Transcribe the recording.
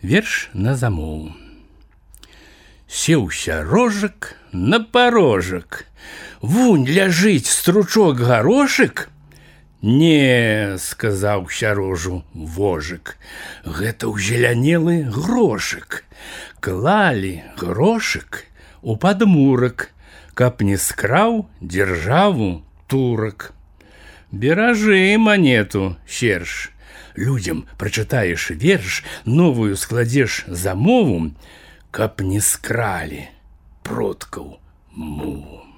Верш на замову. Сеўся рожак на парожак. Вунь ляжыць стручок гарошык. Не, сказаў сярожу вожык, гэта ўзелянелы грошык. Клалі грошык у падмурак, каб не скраў дзяржаву турак. Беражы манету, серж. Людзям прачытаеш верш, новую складзеш замову, каб не скралі продкаў мову.